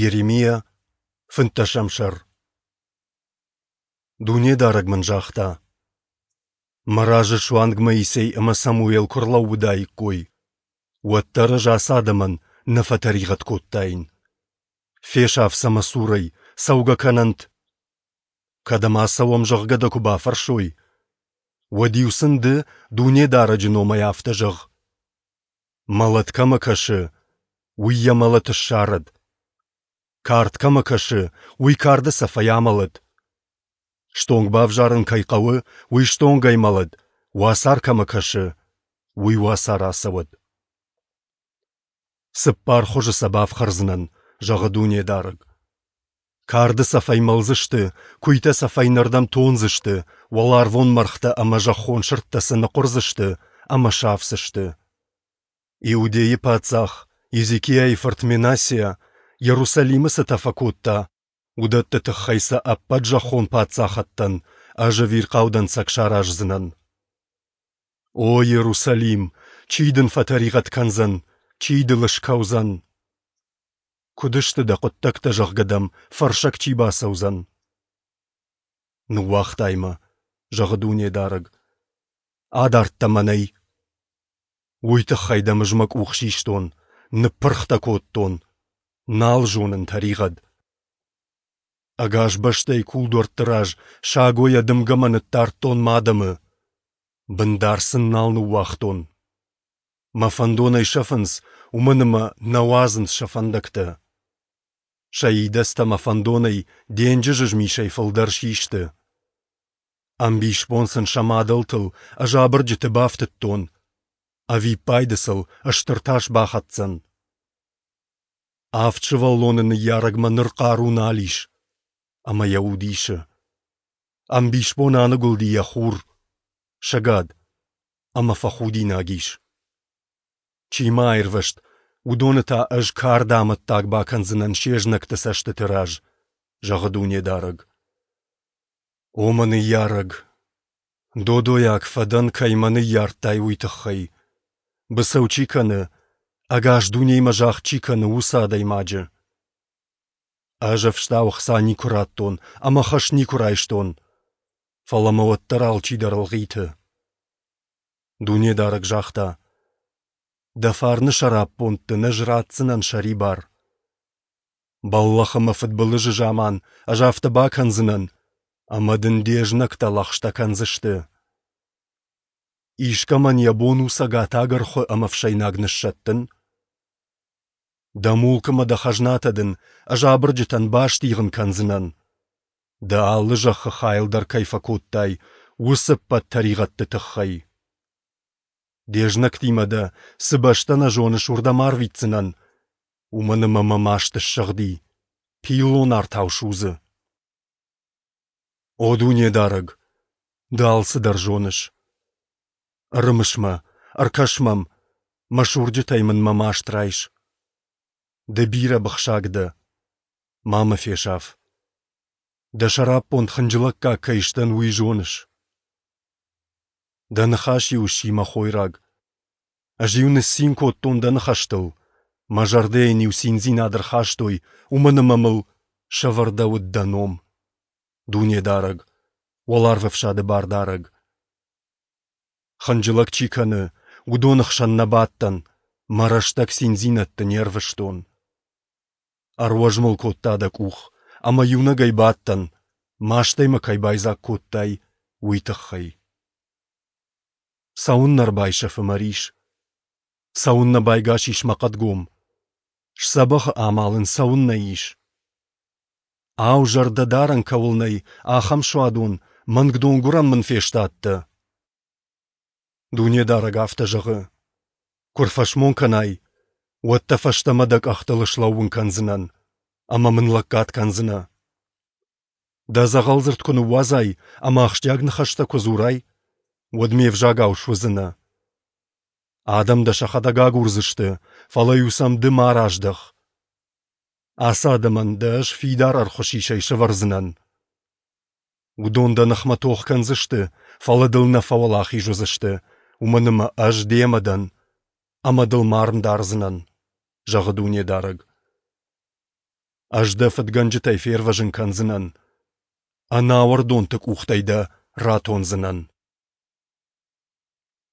Йеремиа, фынддӕсӕм сӕр. Дунедарӕг мын загъта: Мӕ разы суанг Моисей ӕмӕ Самуел куы рлӕууыдаиккой, уӕддӕр ӕз ацы адӕмӕн нӕ фӕтӕригъӕд кодтаин. Фесаф сӕ мӕ цурӕй, цӕугӕ кӕнӕнт! Кӕдӕм ацӕуӕм, зӕгъгӕ дӕ куы бафӕрсой, уӕд-иу сын ды Дунедарӕджы номӕй афтӕ зӕгъ: Мӕлӕт кӕмӕ кӕсы, уый йӕ мӕлӕт ссарӕд. Кард кӕмӕ кӕсы, уый карды цӕфӕй амӕлӕд. Стонг бавзарын кӕй хъӕуы, уый стонгӕй мӕлӕд, уацар кӕмӕ кӕсы, уый уацар ацӕуӕд. Цыппар хуызы сӕ бафхӕрдзынӕн, зӕгъы Дунедарӕг. Карды цӕфӕй мӕлдзысты, куыйтӕ сӕ фӕйнӕрдӕм тондзысты, уӕларвон мӕргътӕ ӕмӕ зӕххон сырдтӕ сӕ ныхъуырдзысты ӕмӕ сафдзысты. Иудейы паддзах Езекиайы фырт Менассиа Йерусалимы цытӕ фӕкодта, уыдӕтты тыххӕй сӕ ӕппӕт зӕххон паддзахӕдтӕн ӕз ӕвирхъау дӕнцӕг сараздзынӕн. О Иерусалим, чи дын фӕтӕригъӕд кӕндзӕн, чи дыл скӕудзӕн? Куыд сты дӕ хъуыддӕгтӕ, зӕгъгӕ дӕм фӕрсӕг чи бацӕудзӕн? Ныууагътай мӕ, зӕгъы Дунедарӕг. Адардта мӕнӕй. Уый тыххӕй дӕм ӕз мӕ къух систон, ныппырх дӕ кодтон. Нал зонын тӕригъӕд. Ӕгас бӕстӕйы кулдуӕртты раз сагойӕ дымгӕмӕ ныддардтон мӕ адӕмы. Бындар сын нал ныууагътон. Мӕ фӕндонӕй сӕфынц, уымӕн ӕмӕ нӕ уадзынц сӕ фӕндӕгтӕ. Сӕ идӕдзтӕ мӕ фӕндонӕй денджызы змисӕй фылдӕр систы. Ӕмбисбон сын сӕ мадӕлтыл ӕз абырджыты бафтыдтон. Ӕвиппайды сыл стыр тас бахӕцдзӕн. Авд сывӕллоны ныййарӕгмӕ ныр хъару нал ис, ӕмӕ йӕ уд исы. Ӕмбисбон аныгуылди йӕ хур, сӕгад ӕмӕ фӕхудинаг ис. Чи ма аирвӕзт, уыдоны та ӕз карды амӕттаг бакӕндзынӕн се знӕгты цӕстыты раз, зӕгъы Дунедарӕг. О мӕ ныййарӕг, додойаг фӕдӕн, кӕй мӕ ныййардтай, уый тыххӕй. Быцӕу чи кӕны, ӕгас дунеимӕ загъд чи кӕны, уыцы адӕймаджы. Ӕз ӕфстау ӕхца никуы радтон ӕмӕ хӕс никуы райстон, фӕлӕ мӕ уӕддӕр алчидӕр ӕлгъиты. Дунедарӕг загъта: Дӕ фарны сӕраппонд дын ӕз ратдзынӕн сӕрибар. Бӕллӕх ӕмӕ фыдбылызы заман ӕз афтӕ бакӕндзынӕн, ӕмӕ дын де знӕгтӕ лӕгъстӕ кӕндзысты. Искӕмӕн йӕ бон у цӕгатаг ӕрхуы ӕмӕ ӕфсӕйнаг ныссӕттын? Дӕ мулк ӕмӕ дӕ хӕзнатӕ дын ӕз абырджытӕн бастигъын кӕндзынӕн. Дӕ алы зӕххы хайыл дӕр кӕй фӕкодтай, уыцы ӕппӕт тӕригъӕдты тыххӕй. Де знӕгтимӕ дӕ, цы бӕстӕ нӕ зоныс, уырдӕм арвитдзынӕн, уымӕн ӕмӕ мӕ маст ссыгъди, пиллон артау судзы. О Дунедарӕг, ды алцыдӕр зоныс. Ӕрымыс мӕ, ӕркӕс мӕм, мӕ сурджытӕй мын мӕ маст райс. Ды бирӕ быхсаг дӕ, ма мӕ фесаф. Дӕ сӕраппонд хынджылӕггаг кӕй сдӕн, уый зоныс. Дӕ ныхас-иу сси мӕ хойраг. Ӕз-иу ныццин кодтон дӕ ныхӕстыл, мӕ зӕрдӕйӕн-иу циндзинад ӕрхастой, уымӕн ӕмӕ мыл сӕвӕрдӕуыд дӕ ном, Дунедарӕг, Уӕларвӕфсады Бардарӕг. Хынджылӕг чи кӕны, уыдоны хсӕн нӕ бадтӕн, мӕ рӕстӕг циндзинӕдты не рвыстон. Ӕруӕз мыл кодта дӕ къух, ӕмӕ иунӕгӕй бадтӕн, мастӕй мӕ кӕй байдзаг кодтай, уый тыххӕй. Цӕуыннӕ ӕрбайсӕфы мӕ рис? Цӕуыннӕ байгас ис мӕ хъӕдгом? Сдзӕбӕхы амал ын цӕуыннӕ ис? Ау, зӕрдӕдарӕн кӕуыл нӕй, ахӕм суадон, мӕнг донгуырӕн мын фестадтӕ? Дунедарӕг афтӕ зӕгъы: Куы рфӕсмон кӕнай, уӕд дӕ фӕстӕмӕ дӕ къӕхтыл слӕууын кӕндзынӕн, ӕмӕ мын лӕггад кӕндзынӕ. Дӕ дзӕгъӕлдзырд куы ныууадзай ӕмӕ ахсджиаг ныхӕстӕ куы дзурай, уӕд ме взагау суыдзынӕ. Адӕм дӕ сӕхӕдӕг агурдзысты, фӕлӕ-иу сӕм ды ма раздӕх. Ацы адӕмӕн дӕ ӕз фидар ӕрхуысисӕй сӕвӕрдзынӕн. Уыдон дӕ ныхмӕ тох кӕндзысты, фӕлӕ дыл нӕ фӕуӕлахиз уыдзысты, уымӕн ӕмӕ ӕз демӕ дӕн ӕмӕ дыл мӕ арм дардзынӕн, зӕгъы Дунедарӕг. Ӕз дӕ фыдгӕнджытӕй фервӕзын кӕндзынӕн, ӕнауӕрдонты къухтӕй дӕ ратондзынӕн.